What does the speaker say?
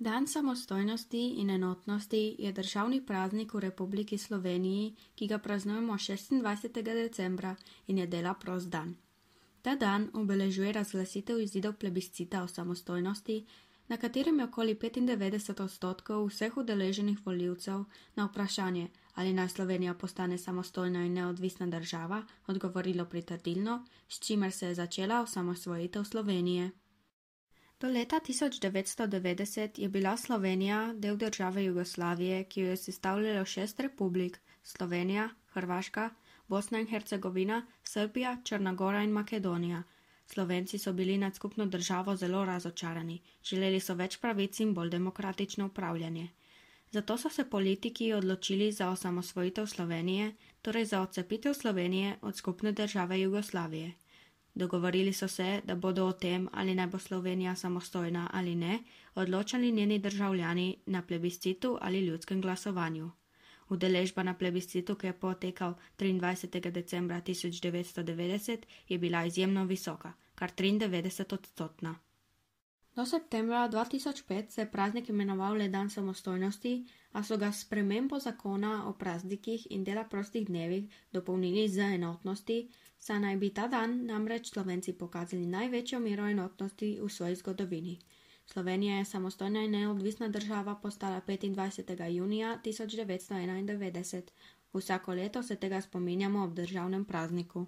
Dan samostojnosti in enotnosti je državni praznik v Republiki Sloveniji, ki ga praznujemo 26. decembra in je dela prost dan. Ta dan obeležuje razglasitev izidov plebiscita o samostojnosti, na katerem je okoli 95% vseh udeleženih volivcev na vprašanje, ali naj Slovenija postane samostojna in neodvisna država, odgovorilo pritrdilno, s čimer se je začela osamosvojitev Slovenije. Do leta 1990 je bila Slovenija del države Jugoslavije, ki jo je sestavljalo 6 republik: Slovenija, Hrvaška, Bosna in Hercegovina, Srbija, Črna Gora in Makedonija. Slovenci so bili nad skupno državo zelo razočarani, želeli so več pravic in bolj demokratično upravljanje. Zato so se politiki odločili za osamosvojitev Slovenije, torej za odcepitev Slovenije od skupne države Jugoslavije. Dogovorili so se, da bodo o tem, ali naj bo Slovenija samostojna ali ne, odločali njeni državljani na plebiscitu ali ljudskem glasovanju. Udeležba na plebiscitu, ki je potekal 23. decembra 1990, je bila izjemno visoka, kar 93%. Do septembra 2005 se je praznik imenoval le dan samostojnosti, a so ga s spremembo zakona o praznikih in dela prostih dnevih dopolnili z enotnosti, saj naj bi ta dan namreč Slovenci pokazali največjo mero enotnosti v svoji zgodovini. Slovenija je samostojna in neodvisna država postala 25. junija 1991. Vsako leto se tega spominjamo ob državnem prazniku.